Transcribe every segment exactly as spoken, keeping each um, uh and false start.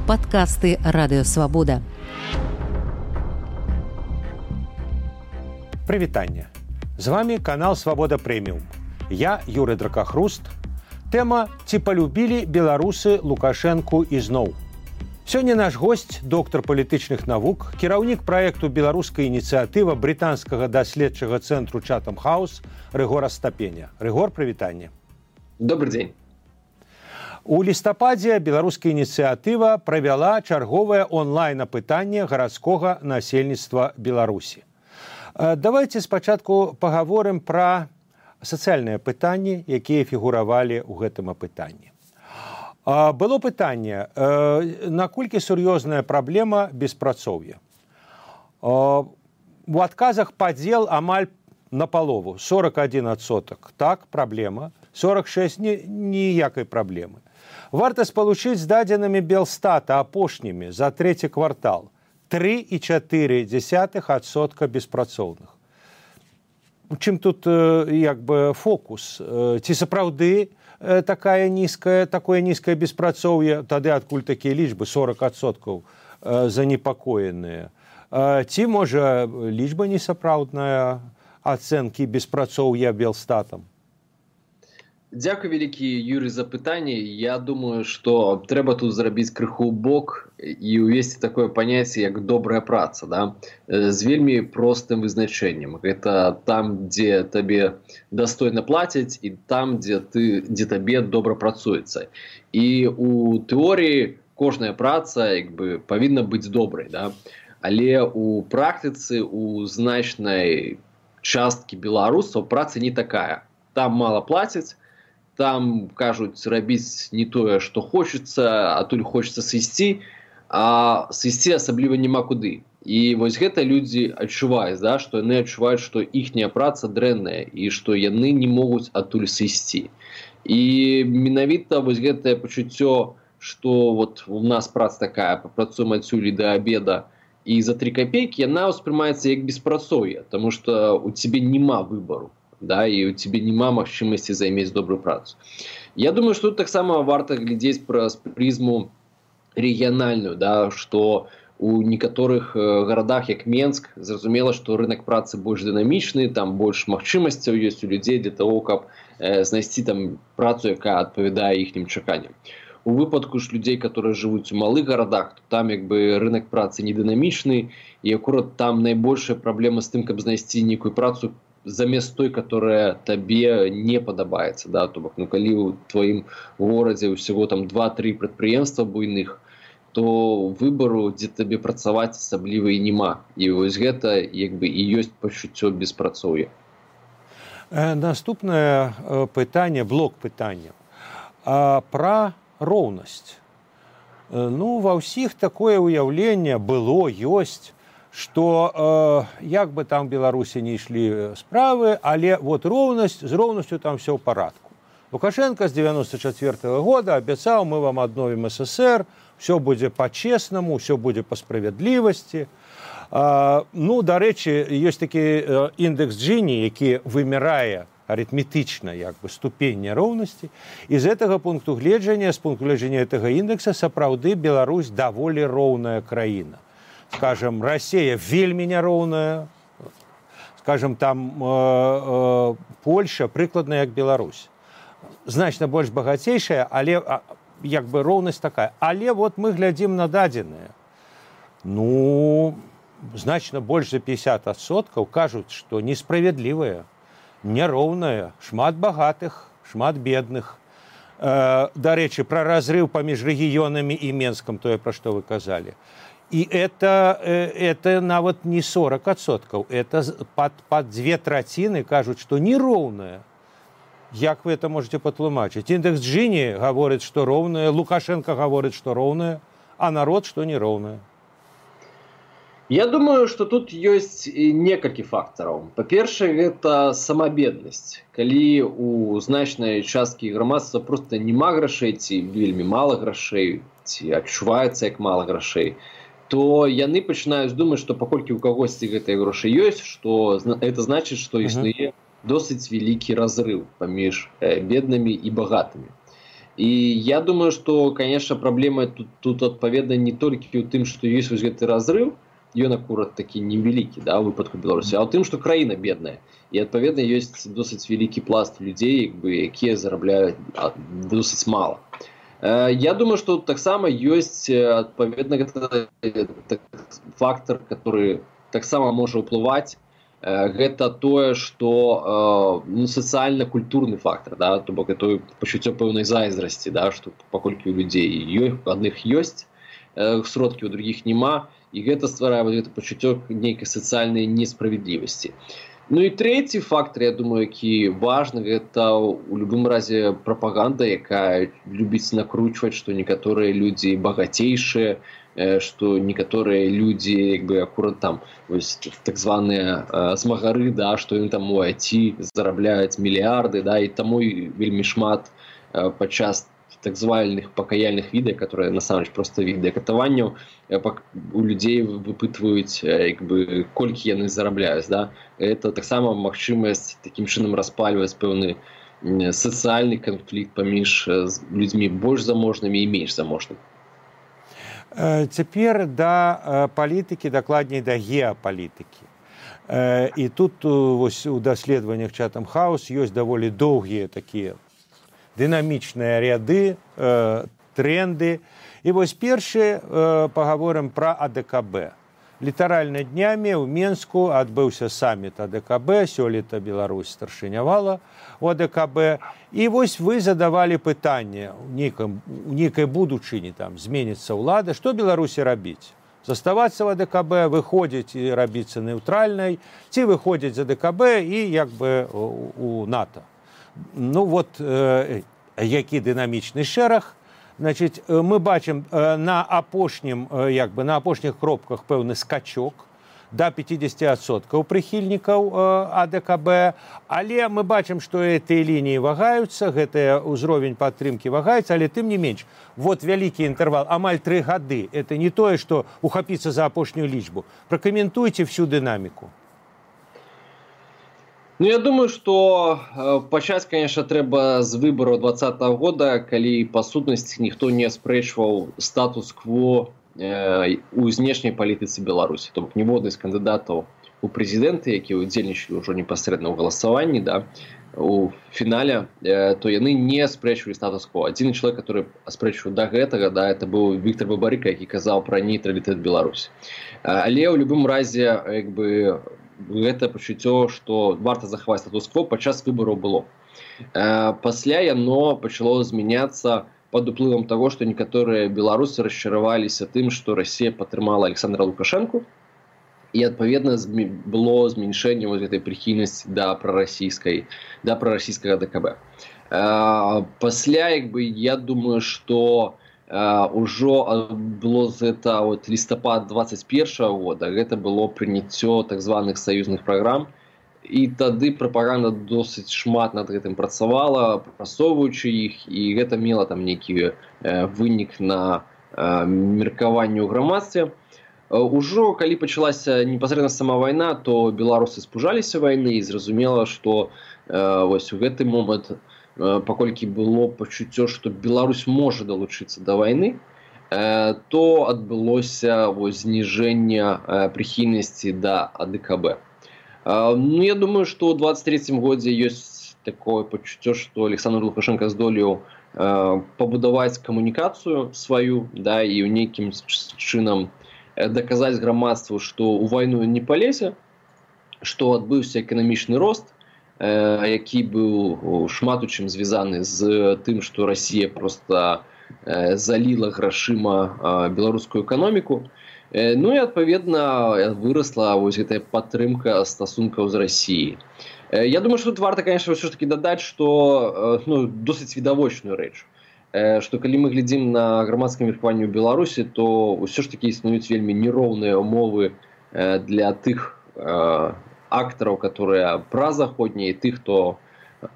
Падкасты Радыё Свабода. Прывітанне. З вами канал Свабода Прэміум. Я Юрый Дракахруст. Тэма «Ці палюбілі беларусы Лукашэнку ізноў?». Сёння наш госць, доктар палітычных навук, кіраўнік праекту «Беларуская ініцыятыва» брытанскага даследчага цэнтру Chatham House Рыгор Астапеня. Рыгор, прывітанне. Добрый дзень. У лістападзе «Беларуская ініцыятыва» правяла чарговае онлайн-апытанне гарадскога насельніцтва Беларусі. Давайте спачатку пагаворым пра сацыяльныя пытанні, якія фігуравалі ў гэтым апытанні. Было пытанне, наколькі сур'ёзная праблема беспрацоўя. У адказах падзел амаль напалову, сорок один адсотак. Так, праблема. сорок шесть ніякай праблемы. Варта спалучыць з дадзенымі Белстата апошнімі за трэці квартал. три і чатыры дзесятых адсотка беспрацоўных. Чым тут як бы фокус? Ці сапраўды такая нізкая, такое нізкае беспрацоўе, тады адкуль такія лічбы сорок адсоткаў занепакоеныя. Ці можа лічба несапраўдная ацэнкі беспрацоўя Белстатам? Дзякуй вялікі, Юрый, за пытанне. Я думаю, што трэба тут зрабіць крыху бок і ўвесці такое паняцце, як добрая праца, да? З вельмі простым вызначэннем. Гэта там, дзе табе дастойна плацяць, і там, дзе, ты, дзе табе добра працуецца. І у тэорыі кожная праца як бы, павінна быць добрай. Да? Але у практыцы, у значнай часткі беларусаў праца не такая. Там мала плацяць, там кажуць рабіць не тое, што хочацца, а тут хочацца сысці, а сысці асабліва няма куды. І вось гэта людзі адчуваюць, да, што яны адчуваюць, што іхняя праца дрэнная і што яны не могуць адтуль сысці. І менавіта вось гэтае пачуццё, што вот у нас праца такая, папрацуем адсюль да абеда і за тры капейкі, яна ўспрымаецца як беспрацоўе, таму што у цябе няма выбару. Да, і у цябе няма магчымасці займець добрую працу. Я думаю, што тут таксама варта глядзець праз прызму рэгіянальную, да, што у некаторых гарадах, як Менск, зразумела, што рынак працы больш дынамічны, там больш магчымасцяў ёсць у людзей для того, каб э, знайсці там працу, якая адпавядае іхнім чаканням. У выпадку ж людзей, которые жывуць у малых гарадах, то там як бы рынак працы не дынамічны, і акурат там найбольшая праблема з тым, каб знайсці нейкую працу замест той, которая табе не падабаецца, да, то бок, ну калі ў тваім горадзе ўсяго там два-тры прадпрыемства буйных, то выбару, дзе табе працаваць асабліва і няма. І вось гэта як бы і ёсць пачуццё беспрацоўя. Наступнае пытанне, блок пытання пра роўнасць. Ну, ва ўсіх такое ўяўленне было, ёсць, што э, як бы там Беларусі не ішлі справы, але вот роўнасць, з роўнасцю там все ў парадку. Лукашенко з девяносто четвёртого года абяцаў, мы вам адновім СССР, все будзе па-чеснаму, все будзе па справядлівасці. Э, ну, дарэчы, ёсць такі індэкс Джіні, які вымярае арытметычна як бы ступень няроўнасці. І з гэтага пункту гледжання, з пункту гледжання гэтага індекса, сапраўды Беларусь даволі роўная краіна. Скажем, Россия вельмі няроўная, скажем, там э, э, Польша прыкладна як Беларусь. Значна больш багацейшая, але як бы роўнасць такая. Але вот мы глядзім на дадзеныя. Ну, значна больш за пятьдесят адсоткаў кажуць, што несправядлівая, няроўная, шмат багатых, шмат бедных. Э, дарэчы, пра разрыв паміж рэгіёнамі і Менскам, тое, пра што вы казалі. И это, это нават не сорок адсоткаў, это под, под две траціны кажуць, што нероўная. Як вы это можете патлумачыць? Індэкс Джіні гаворыць, што роўная, Лукашенко гаворыць, што роўная, а народ, што нероўная. Я думаю, што тут ёсць некалькі фактараў. Па-першае, гэта самабеднасць. Калі у значнай часткі грамадства проста няма грашэй, ці вельмі мала грашэй, ці адчуваецца як мала грашэй, то яны пачынаюць думаць, што паколькі ў кагосьці гэтыя грошы ёсць, што это значыць, што існуе досыць вялікі разрыв паміж беднымі і багатымі. І я думаю, што, канешне, праблема тут, тут адпаведна не толькі ў тым, што ёсць вось гэты разрыв, ён акурат такі невялікі, да, у выпадку Беларусі, а ў тым, што краіна бедная. І адпаведна ёсць досыць вялікі пласт людзей, як бы, якія зарабляюць досыць мала. Я думаю, што таксама ёсць адпаведна гэта фактор, который таксама можа ўплываць. Гэта тое, што ну, сацыяльна-культурны фактор, да, то бок это пачуццё пэўнай зайздрасці, да, што паколькі у людзей адных ёсць сродкі, у другіх няма, і гэта стварае вот гэта пачуццё нейкай сацыяльнай несправядлівасці. Ну і трэці фактор, я думаю, які важны, гэта у любым разе прапаганда, якая любіць накручваць, што некаторыя людзі багацейшыя, што некаторыя людзі, як бы, акурат там, вось, так званыя э, змагары, да, што яны там у ай ти зарабляюць мільярды, да, і таму вельмі шмат э, падчас так званых пакаяльных відэа, которые насамрэч проста відэа катаванняў, э, у людзей выпытваюць, э, як бы, колькі яны зарабляюць, да. Это таксама магчымасць такім чынам распальваць пэўны э, сацыяльны канфлікт паміж э, людзьмі больш заможнымі і менш заможнымі. Цяпер да палітыкі, дакладней да геапалітыкі. І тут вось, у даследаваннях Chatham House ёсць даволі доўгія такія дынамічныя ряды, тренды. І вось першы пагаворым пра а дэ ка бэ. Літаральна днямі ў Менску адбыўся саміт а дэ ка бэ, сёлета Беларусь старшынявала у а дэ ка бэ. І вось вы задавалі пытанне у нейкай будучыні, там зменіцца ўлада, што Беларусі рабіць? Заставацца в а дэ ка бэ, выходзіць і рабіцца неўтральнай, ці выходзіць з а дэ ка бэ і як бы у НАТО. Ну вот э, які дынамічны шэраг. Значит, мы бачым на апошнім, як бы, на апошніх кропках пэўны скачок да пятьдесят адсоткаў прыхільнікаў а дэ ка бэ, але мы бачым, што гэтыя лініі вагаюцца, гэты ўзровень падтрымкі вагаецца, але тым не менш, вот вялікі інтэрвал, амаль тры гады, это не тое, што ухапіцца за апошнюю лічбу. Пракаментуйце всю дынаміку. Ну, я думаю, што э, пачаць, конечно, трэба з выбараў двадцатага года, калі, па сутнасці, ніхто не аспрэчваў статус-кво э, у знешняй палітыцы Беларусі. То бок ніводны з кандыдатаў у прэзідэнты, якія ўдзельнічалі ўжо непасрэдна ў галасаванні, да, у фінале, э, то яны не аспрэчвалі статус-кво. Адзіны чалавек, который аспрэчваў да гэтага, да, это быў Віктор Бабарыка, які казаў пра нейтралітэт Беларусі. Але ў любым разе, як бы, гэта пачуццё, што варта захаваць статус-кво падчас выбараў было. Пасля яно пачало змяняцца пад уплывам таго, што некаторыя беларусы расчараваліся тым, што Расія падтрымала Александра Лукашэнку, і адпаведна было змяншэнне вось гэтай прыхільнасці да прарасійскай, да прарасійскага а дэ ка бэ. Пасля, як бы, я думаю, што Uh, ужо было з гэта от, лістапад двадцать першага года, гэта было прыняццё так званых саюзных праграм, і тады прапаганда досыць шмат над гэтым працавала, прасоўваючы іх, і гэта мела там нейкі uh, вынік на uh, меркаванне ў грамадстве. Uh, ужо калі пачалася непасрэдна сама вайна, то беларусы спужаліся вайны і зразумела, што uh, вось у гэты момант, паколькі было пачуццё, што Беларусь можа далучыцца да вайны, то адбылося зніжэнне прыхільнасці да а дэ ка бэ. Ну, я думаю, што ў двадцать трэцім годзе ёсць такое пачуццё, што Александр Лукашенко здолеў пабудаваць камунікацыю сваю, да, і ў нейкім чынам даказаць грамадству, што ў вайну не палезе, што адбыўся эканамічны рост, які быў шмат у чым звязаны з тым, што Расія проста заліла грашыма беларускую эканоміку. Ну і, адпаведна, вырасла вось гэтая падтрымка стасункаў з Расіяй. Я думаю, што тут варта, конечно, ўсё ж таки дадаць, што ну, досыць відавочную рэч, што калі мы глядзім на грамадскае меркаванне ў Беларусі, то ўсё ж таки існуюць вельмі нероўныя умовы для тых актараў, которые празаходнія, і тых, хто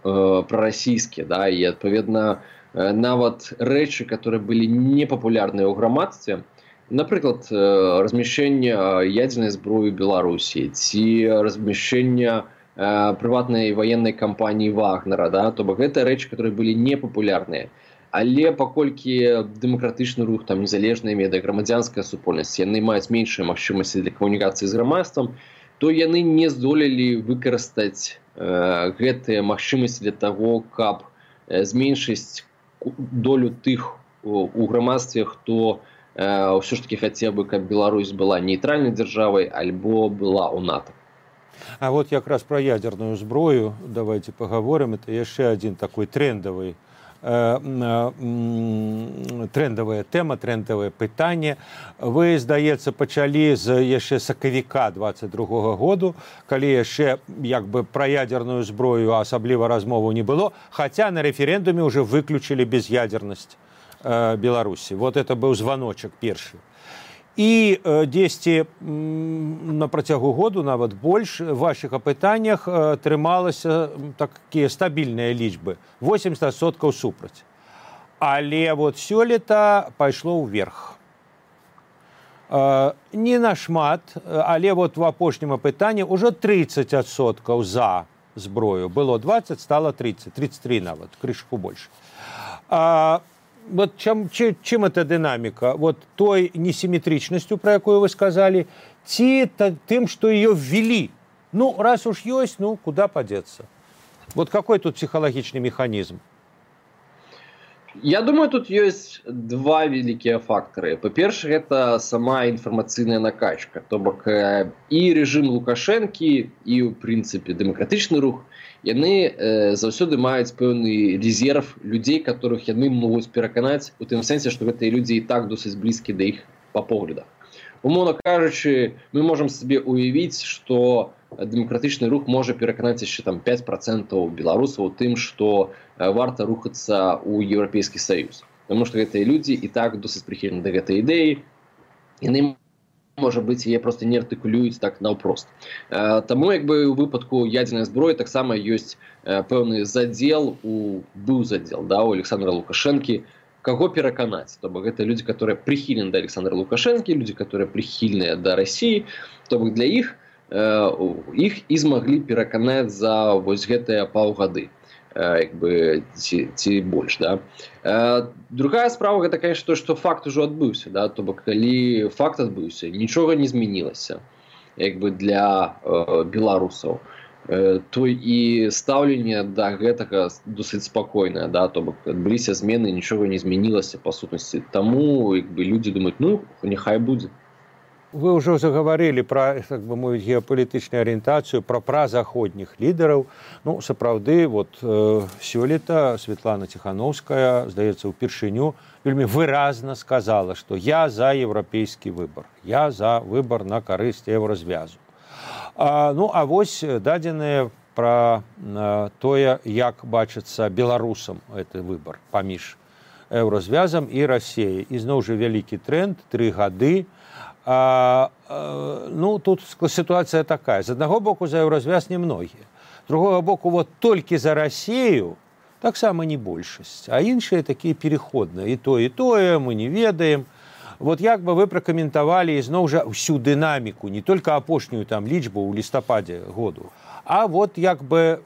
э, прарасійскія, да, і адпаведна э, нават рэчы, которые былі непапулярныя ў грамадстве, напрыклад, э, размяшчэнне ядзернай зброі ў Беларусі ці размяшчэнне э, прыватнай ваеннай кампаніі Вагнера, да, то бок гэта рэчы, которые былі непапулярныя. Але паколькі дэмакратычны рух, там незалежныя медыа, грамадзянская супольнасць, яны маюць меншыя магчымасці для камунікацыі з грамадствам, то яны не здолелі выкарыстаць э, гэтыя магчымасці для таго, каб э, зменшыць долю тых у, у грамадстве, хто э, ўсё ж таки хацеў бы, каб Беларусь была нейтральнай дзяржавай альбо была ў НАТО. А вот якраз про ядерную зброю давайте поговорим. Это яшчэ один такой трендовый трендовая тема, трендовае пытанне. Вы, здаецца, пачалі з яшчэ сакавіка двадцать другога году, калі яшчэ як бы пра ядерную зброю асабліва размову не было, хаця на рэферэндуме уже выключылі без'ядернасць э, Беларусі. Вот это быў званочак першы. І дзесьці на працягу году, нават больш, в вашых апытаннях трымалася такія стабільныя лічбы, восемьдесят адсоткаў супраць. Але вот сёлета пайшло ўверх. Не нашмат, але вот в апошнім апытанні ўжо тридцать адсоткаў за зброю. Было двадцать, стало тридцать, тридцать три нават, крышку больш. Вот чем, чем, чем эта динамика? Вот той несимметричностью, про якую вы сказали, ці тем, что ее ввели. Ну, раз уж есть, ну, куда подеться? Вот какой тут психологичный механизм? Я думаю, тут есть два великие фактора. По-перше, это сама информационная накачка. То бок и режим Лукашенки, и, в принципе, демократичный рух, яны э, заўсёды маюць пэўны резерв людзей, которых яны могуць пераканаць у тым сэнсе, што гэтыя людзі і так досыць блізкі да іх па поглядах. Умоўна кажучы, мы можам сабе уявіць, што дэмакратычны рух можа пераканаць яшчэ там пять процентаў беларусаў у тым, што э, варта рухацца ў Еўрапейскі Саюз. Таму што гэтыя людзі і так досыць прыхільны да гэтай ідэі, яны можа быць, яе просто не артыкулююць так наўпрост. Э, таму як бы у выпадку ядзернай зброі таксама ёсць э, пэўны задзел у быў задзел, да, у Александра Лукашэнкі, каго пераканаць. То бок гэта людзі, которые прыхільны да Александра Лукашэнкі, людзі, которые прыхільныя да Расіі, то бок для іх э, іх і змаглі пераканаць за вось гэтыя паўгады. Як бы ці, ці больш, да. Э, другая справа гэта, конечно, то, што факт ужо адбыўся, да, то бок калі факт адбыўся, нічога не змянілася, як бы для э, беларусаў, э, то і стаўленне да гэтага досыць спакойнае, да, то бок адбыліся змены, нічога не змянілася па сутнасці. Таму як бы людзі думаюць, ну, няхай будзе. Вы уже заговорили про, так бы мовіць, геополітычную арыентацыю, про празаходніх лідараў. Ну, сапраўды, вот э, сёлета Светлана Тихановская, здаецца, упершыню вельмі выразна сказала, што я за еўрапейскі выбар, я за выбар на карысць еўразвязу. А, ну, а вось дадзеныя пра э, тое, як бачыцца беларусам гэты выбар паміж еўразвязам і Расіяй. І зноў жа вялікі тренд, тры гады. А, а, ну, тут ситуация такая. З одного боку за еўразвяз немногие. З другого боку, вот толькі за Россию таксама не большасць. А іншыя такія переходныя. І то, і тое мы не ведаем. Вот як бы вы пракаментавалі ізноў жа всю дынаміку, не только апошнюю там лічбу ў лістападзе году, а вот як бы,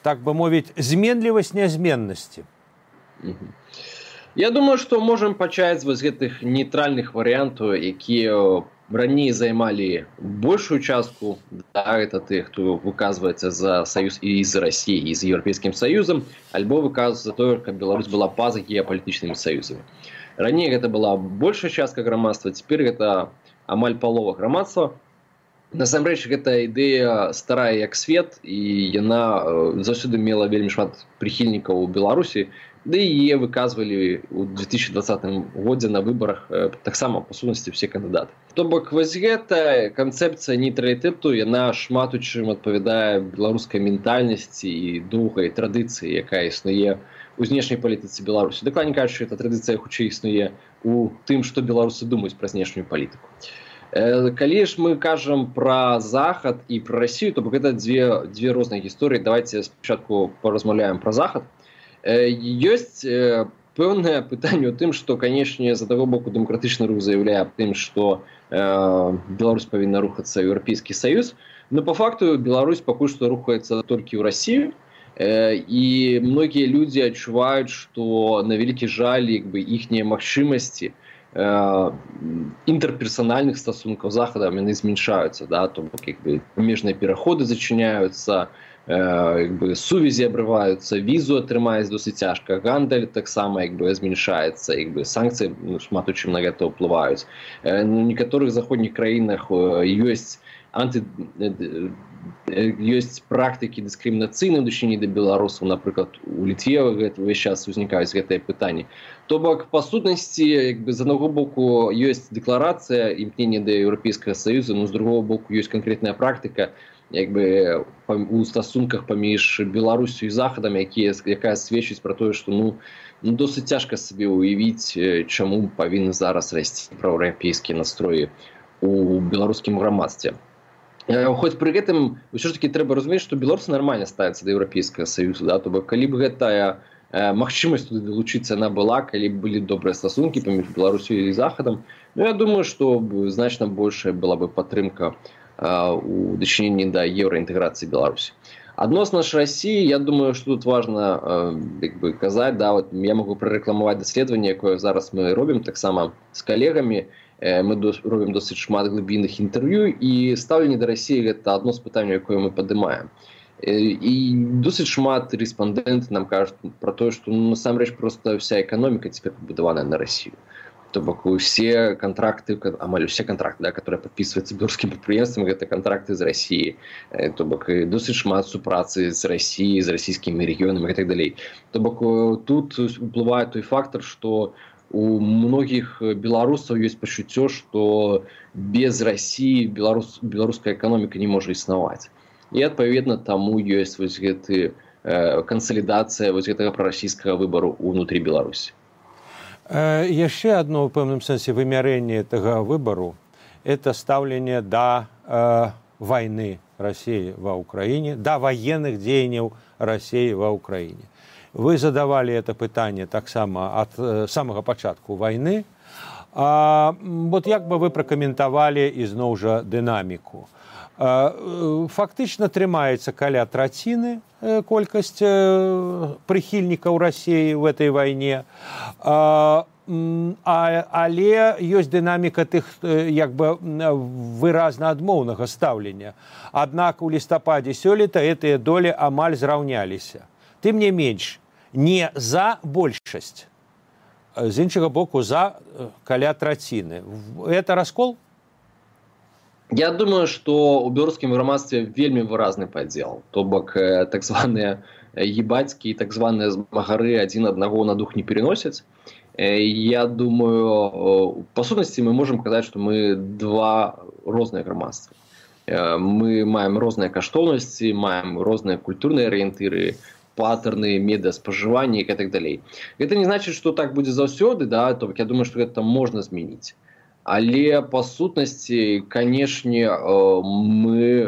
так бы мовіць, зменлівасць нязменнасці. Я думаю, што можам пачаць з гэтых нейтральных варыянтаў, якія раней займалі большую частку, да, это тых, хто выказваецца за саюз і з Расіяй, і з Еўрапейскім Саюзам, альбо выказваецца за тое, каб Беларусь была па-за геапалітычнымі саюзамі. Раней гэта была большая частка грамадства, цяпер гэта амаль палова грамадства. Насамрэч, гэта ідэя старая як свет, і яна заўсёды мела вельмі шмат прыхільнікаў у Беларусі, да і яе выказвалі ў две тысячи двадцатым годзе на выбарах таксама па сутнасці все кандыдаты. То бок вось гэта канцэпцыя нейтралітэту, яна шмат у чым адпавядае беларускай ментальнасці і доўгай традыцыі, якая існуе у знешняй палітыцы Беларусі. Дакладней кажучы, эта традыцыя хутчэй існуе у тым, што беларусы думаюць пра знешнюю палітыку. Калі ж мы кажам пра Захад і пра Расію, то бок гэта дзве, дзве розныя гісторыі. Давайте спачатку паразмаўляем пра Захад. Ёсць пэўнае пытанне ў тым, што, канешне, з аднаго боку дэмакратычны рух заяўляе аб тым, што э, Беларусь павінна рухацца ў Еўрапейскі Саюз, но па факту Беларусь пакуль што рухаецца толькі ў Расію, І многія людзі адчуваюць, што на вялікі жаль як бы іхнія магчымасці інтэрперсанальных стасункаў з захадам яны змяншаюцца, да, то бок як бы памежныя пераходы зачыняюцца, як бы сувязі абрываюцца, візу атрымаць досыць цяжка, гандаль таксама як бы змяншаецца, як бы санкцыі ну, шмат у чым на гэта ўплываюць. На некаторых заходніх краінах ёсць анты ёсць практыкі дыскрымінацыйныя ў дачыненні да беларусаў, напрыклад, у Літве ўвесь час узнікаюць гэтыя пытанні. То бок, па сутнасці, як бы, з аднаго боку ёсць дэкларацыя імкнення да Еўрапейскага Саюза, но з другого боку ёсць канкрэтная практыка, як бы, у стасунках паміж Беларусю і Захадам, якія, якая сведчыць пра тое, што ну, ну, досыць цяжка сабе ўявіць, чаму павінны зараз расці праўеўрапейскія настроі у беларускім грамадстве. Хоць пры гэтым ўсё ж такі трэба разумець, што беларусы нармальна ставяцца да Еўрапейскага Саюза, да? То бок, калі б гэтая э, магчымасць туды далучыцца она была, калі б былі добрыя стасункі паміж Беларусю і Захадам, ну я думаю, што значна большая была бы падтрымка э, у дачыненні да еўраінтэграцыі Беларусі. Адносна ж Расіі, я думаю, што тут важна э, як бы казаць, да, вот я магу прарэкламаваць даследаванне, якое зараз мы робім таксама з калегамі. Мы робім досыць шмат глыбінных інтэрв'ю, і стаўленне да Расіі гэта адно з пытанняў, якое мы падымаем. І досыць шмат рэспандэнт нам кажуць пра тое, што ну, насамрэч проста вся эканоміка цяпер пабудаваная на Расію. То бок усе кантракты, амаль усе кантракты, да, которые падпісваюцца беларускім прадпрыемствам, гэта кантракты з Расіі. То бок досыць шмат супрацы з Расіяй, з расійскімі рэгіёнамі і так далей. То бок тут уплывае той фактор, што у многіх беларусаў ёсць пачуццё, што без Расіі беларус, беларуская эканоміка не можа існаваць. І адпаведна таму ёсць вось гэты э, кансалідацыя вось гэтага прарасійскага выбару ўнутры Беларусі. Э, яшчэ адно ў пэўным сэнсе вымярэнне гэтага выбару это стаўленне да э, вайны Расіі ва ўкраіне, да ваенных дзеянняў Расіі ва ўкраіне. Вы задавали это пытанне таксама ад э, самага пачатку вайны. А, вот як бы вы пракаментавалі ізноў жа дынаміку. А, фактычна трымаецца каля траціны э, колькасць э, прыхільнікаў Расіі ў этой вайне. А, а, але ёсць дынаміка тых як бы выразна адмоўнага стаўлення. Аднак у лістападзе сёлета гэтыя долі амаль зраўняліся. Тым не менш, не за большасць, з іншага боку, за каля траціны. Это раскол? Я думаю, што ў беларускім грамадстве вельмі выразны падзел. То бок так званыя ебацькі і так званыя змагары адзін аднаго на дух не переносяць. Я думаю, па сутнасці мы можам казаць, што мы два розныя грамадствы. Мы маем розныя каштоўнасці, маем розныя культурныя арыентыры, паттерны медыаспажывання і так далей. Гэта не значыць, што так будзе заўсёды, да, то я думаю, што гэта можна змяніць. Але па сутнасці, канешне, мы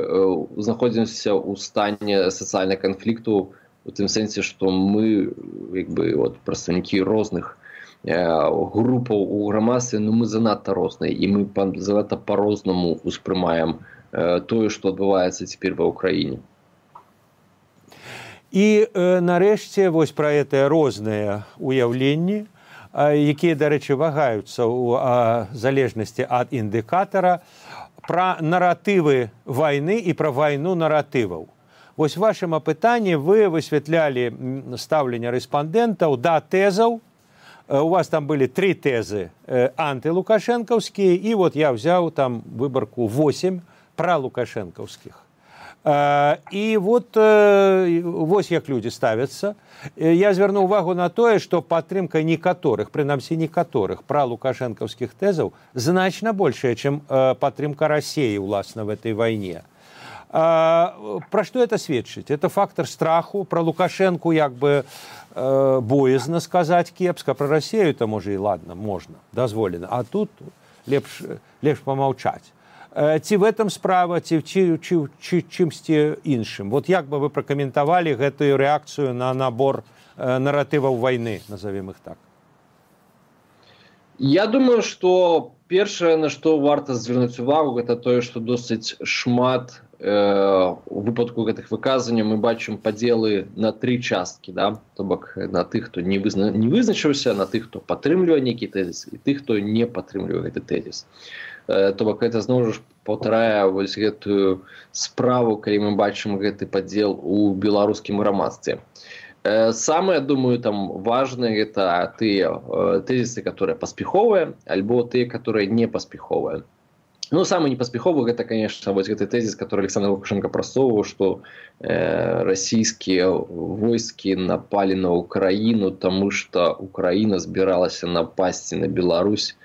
знаходзімся ў стане сацыяльнага канфлікту у тым сэнсе, што мы як бы вот прадстаўнікі розных групаў у грамадстве, но мы занадта розныя і мы занадта па-рознаму успрымаем тое, што адбываецца цяпер ва ўкраіне. І э, нарэшце вось пра гэтыя розныя уяўленні, э, якія, дарэчы, вагаюцца ў э, залежнасці ад індыкатара, пра наратывы вайны і пра вайну наратываў. Вось вашым апытанні вы высвятлялі стаўленне рэспандэнтаў да тэзаў. Э, у вас там былі тры тэзы э, антылукашэнкаўскія, і вот я ўзяў там выбарку восем пра лукашэнкаўскіх. І вот вось як людзі ставяцца. Я звярну ўвагу на тое, што падтрымка некаторых, прынамсі некаторых пра лукашэнкаўскіх тэзаў значна большая, чым падтрымка Расіі ўласна в этой вайне. Пра што это сведчыць? Это фактор страху, пра Лукашэнку як бы боязна сказаць кепска, пра Расію то можа і ладно, можна, дазволена, а тут лепш, лепш памаўчаць. Ці в этом справа, ці чымсьці іншым. Вот як бы вы пракаментавалі гэтую рэакцыю на набор наратываў вайны, назовем іх так? Я думаю, што першае, на што варта звярнуць увагу, гэта тое, што досыць шмат э, у выпадку гэтых выказванняў мы бачым падзелы на тры часткі, да? То бок на тых, хто не, вызна... не вызначыўся, на тых, хто падтрымлівае нейкі тэзіс, і тых, хто не падтрымлівае гэты тэзіс. Э, то бок гэта зноў ж паўтарае вось гэтую справу, калі мы бачым гэты падзел у беларускім грамадстве. Самое, думаю, там важное — это тыя тэзісы, которые паспяховыя, альбо тыя, которые не паспяховыя. Ну, самый непаспяховы — это, конечно, вот этот тезис, который Александр Лукашенко просовывал, что э, российские войски напали на Украину, потому что Украина собиралась напасть на Беларусь,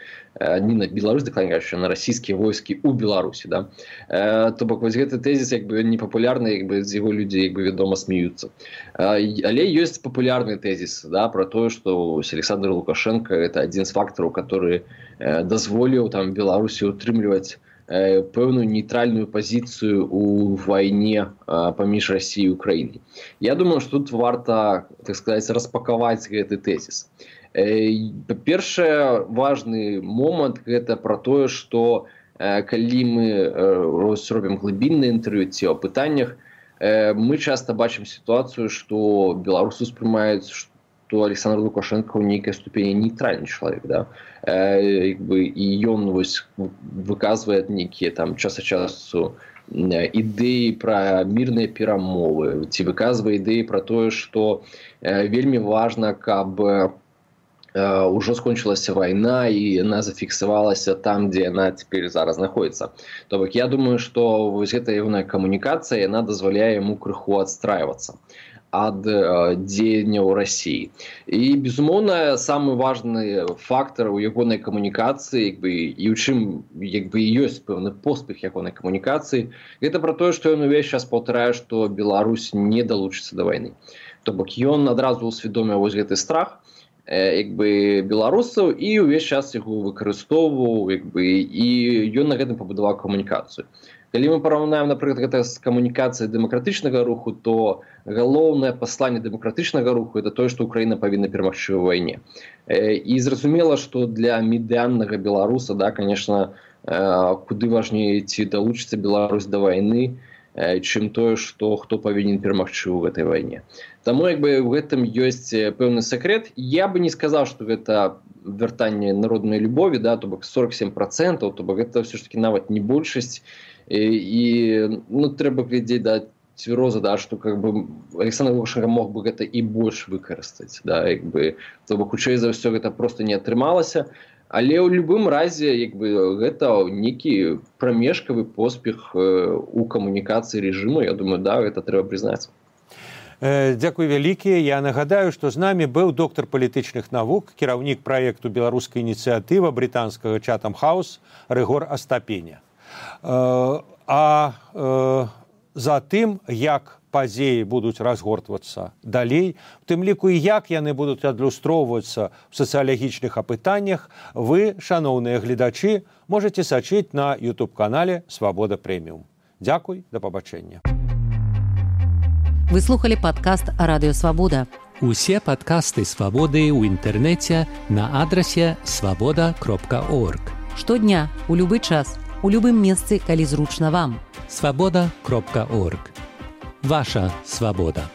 э, не на Беларусь, а на российские войски у Беларуси, да. Э, то бок вот этот тезис как бы непопулярный, как бы из его людей как бы ведомо смеются. Э, але есть популярный тезис, да, про то, что Александр Лукашенко — это один из факторов, который э, дозволил там Беларуси утрымліваць пэўную нейтральную пазіцыю у вайне паміж Расіяй і Украінай. Я думаю, што тут варта, так сказаць, распакаваць гэты тэзіс. Па-першае, важны момант — гэта пра тое, што калі мы робім глыбіннае інтэрв'ю ці о пытаннях, мы часта бачым сітуацыю, што беларусы ўспрымаюць, што Александр Лукашенко ў нейкай ступені нейтральны чалавек, да? Э, як бы, і ён вось выказвае нейкія там час ад часу ідэі пра мірныя перамовы, ці выказвае ідэі пра тое, што э, вельмі важна, каб э, ўжо скончылася вайна і яна зафіксавалася там, дзе яна цяпер зараз знаходзіцца. То бок я думаю, што вось гэта ягоная камунікацыя, яна дазваляе яму крыху адстрайвацца ад э, дзеянняў Расіі. І, безумоўна, самы важны фактар у ягонай камунікацыі, як бы, і ў чым як бы, ёсць пэўны поспех ягонай камунікацыі, гэта пра тое, што ён увесь час паўтарае, што Беларусь не далучыцца да вайны. То бок ён адразу усвядоміў вось гэты страх э, як бы, беларусаў і ўвесь час яго выкарыстоўваў, як бы, і ён на гэтым пабудаваў камунікацыю. Калі мы параўнаем, напрыклад, гэта з камунікацыяй дэмакратычнага руху, то галоўнае пасланне дэмакратычнага руху — это тое, што Украіна павінна перамагчы ў вайне. І зразумела, што для медыяннага беларуса, да, конечно, куды важней, ці далучыцца Беларусь да вайны, чым тое, што хто павінен перамагчы ў гэтай вайне. Таму як бы ў гэтым ёсць пэўны сакрэт. Я бы не сказаў, што гэта вяртанне народнай любові, да, то бок сорок сем процентаў, то бок гэта ўсё ж таки нават не большасць. І, і ну, трэба глядзець да цвяроза, да, што как бы Александр Лукашенко мог бы гэта і больш выкарыстаць, да, як бы, то бок хутчэй за ўсё гэта просто не атрымалася. Але ў любым разе як бы гэта нейкі прамежкавы поспех у камунікацыі рэжыму. Я думаю, да, гэта трэба прызнаць. Дзякуй вялікі. Я нагадаю, што з намі быў доктар палітычных навук, кіраўнік праекту беларуская ініцыятыва брытанскага Chatham House Рыгор Астапеня. А за тым, як падзеі будуць разгортвацца далей, у тым ліку і як яны будуць адлюстроўвацца ў сацыялагічных апытаннях, вы, шаноўныя гледачы, можаце сачыць на ютуб-канале «Свабода Прэміум». Дзякуй, да пабачэння. Вы слухали падкаст «Радыё Свабода». Усе падкасты «Свабоды» ў інтэрнэце на адрасе свабода кропка орг. Штодня, у любы час, у любым месцы, калі зручна вам. свабода кропка орг. Ваша свабода.